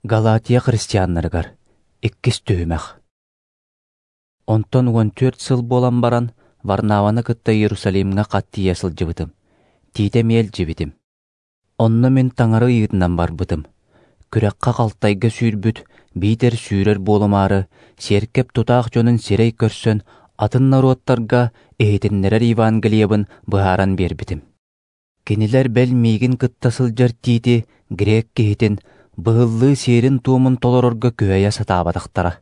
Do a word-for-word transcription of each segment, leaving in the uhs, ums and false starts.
Галатия христианнарыгар иккис түймэх. Онтон он төрт сыл болан баран Варнаваны кытта Иерусалимге каттия сылжыбытым. Тиите мел жибитим. Онно мен таңары ыйытынан барбытым. Күрәкка калтайга сүүрбүт, битер сүүрер болумары, серкеп тутаах жонун серей көрсөн, атын наруаттарга эйтиннерер Евангелиябын быһааран бербитим. Кинилер бел мигин кытта сылжар тиити грек кихитин быһыллыы сиерин туумун толорорго күөйэ сатаабатахтара.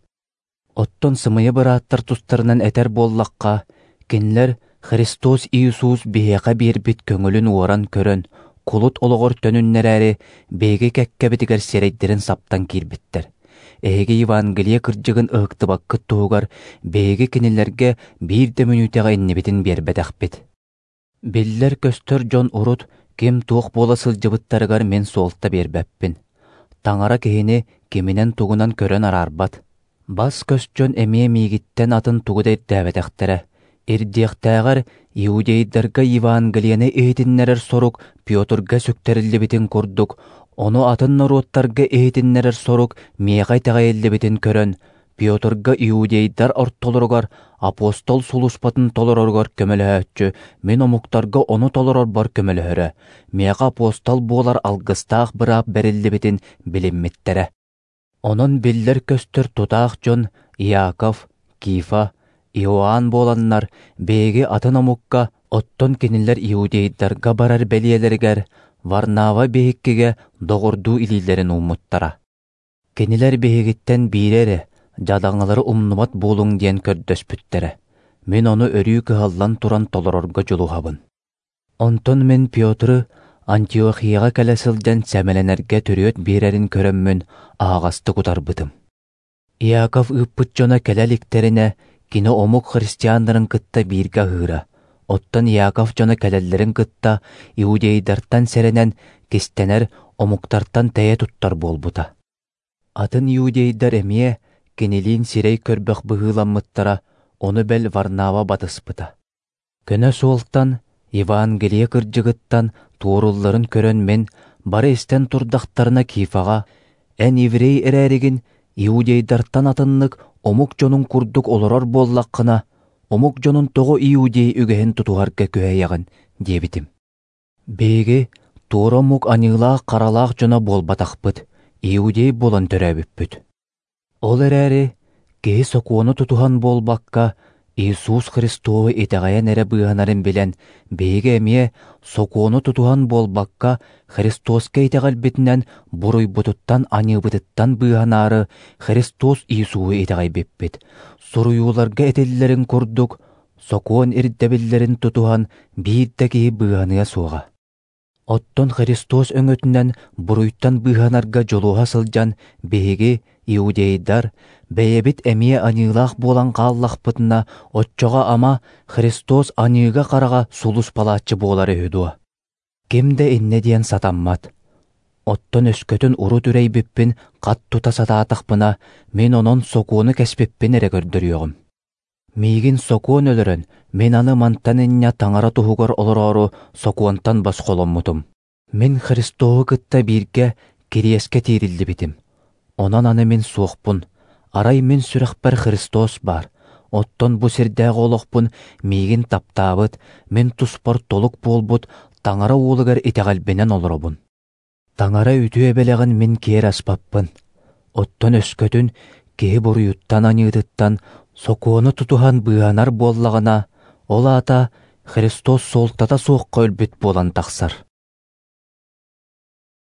Оттон сымыйы бырааттар тустарынан этер боллакка, кинилер Христос Иисус биһэка биэрбит көңүлүн уоран көрөн, кулут ологор төнүннерээри беги кэккебитигер серейдерин саптан киирбиттер. Эги Евангелие кырдьыгын ыктыбаккы туугар беги кинилерге бирде мүнүтэҕэ иннибитин биэрбэтэхпит. Биллер көстөр жон урут ким туох буола сылжыбыттарыгар мен суолта биэрбэппин. Таңара кихини киминен тугунан көрөн арарбат. Бас көстжөн эмие мигиттен атын тугудайт дээбэтэхтере. Ирдиэхтээҕэр иудейдарга Евангелияны эйтиннерер сорук Пётрга сөктериллибитин курдук, ону атын наруоттарга эйтиннерер сорук миэҕай тэҕэйэллибитин көрөн, Пётрга иудейдар ортолоругар апостол сулуспатын толороргор көмөлөһөччү, мен омуктарга ону толорорбор көмөлөһөрө, миэҕа апостол буолар алгыстаах быраап бериллибитин билиммиттере. Онон биллер көстөр тутаах жон Иаков, Кифа, Иоанн боланнар беги атын омукка оттон кинилер иудейдарга барар белиелергер Варнава бехиккиге догордуу илилерин уммуттара. Кинилер бехигиттен бирере жадаңалары умнумат болуң диэн көрдөспүттере. Мен ону өрүү кыһаллан туран толорорго жулухабын. Онтон мен Пётры Антиохияга келе сылдьан сэмэленерге төрүөт бирерин көрөммүн аагасты кутарбытым. Иаков ыппыт жона келеликтерине кини омук христиандарын кытта бирге ыыра. Оттон Иаков жона келеллерин кытта иудейдартан серенен кистенер омуктартан тэйэ туттар болбута. Атын иудейдар эмие кинилиин сирей көрбөх быһыыламмыттара, ону бел Варнава батыспыта. Көнө суолтан Евангелие кырдьыгыттан туурулларын көрөн мен бары истен турдахтарына Кифага эн еврей эрээригин иудейдартан атыннык омук жонун курдук олорор боллаккына омук жонун того иудей үгэһин тутугарга көһэйягын диэбитим. Беги туора омук аньыылаах каралаах жона болбатахпыт, иудей болон төрөбүппүт. Ол эрээри киһи сокуону тутухан болбакка Иисус Христову итэҕэйэн эрэ быаханарын билэн беги эмие сокуону тутухан болбакка Христоска итэҕэлбитинэн буруйбутуттан аньыыбытыттан быаханаары Христос Иисуу итэҕэйбиппит. Суруйууларга этиллерин курдук, сокуон ирдебиллерин тутухан биирдэ киһи быаханыа суоҕа. Оттон Христос өҥөтүнэн буруйттан быаханарга жолуоха сылдьан беги иудейдар бэйэбит эмие аньыылаах буолан хааллахпытына отчоҕа ама Христос аньыыга карага сулус палааччы буолары үдуа. Кимде инне диэн сатаммат. Оттон өскөтүн уру түрейбиппин кат тута сатаатахпына мен онон сокууну кеспиппин эре көрдөрүөгүм. Мигин сокуон өлөрөн мен аны мантан иння таңара туһугар олороору сокуонтан басколоммутум. Мен Христову кытта бирге кириэске тиириллибитим. Онан аны мен суохпун. Арай мен сүрэхпэр Христос бар. Оттон бу сирдээҕи олохпун мигин таптаабыт, мен туспар толук буолбут таңара уулугар итэҕэлбинэн олоробун. Таңара үтүө белэгин мен киэр аспаппын. Оттон өскөтүн киһи буруйуттан аньыытыттан сокуону тутухан быаханар буоллагана ол аата Христос суолтата суохха өлбүт буолан тахсар.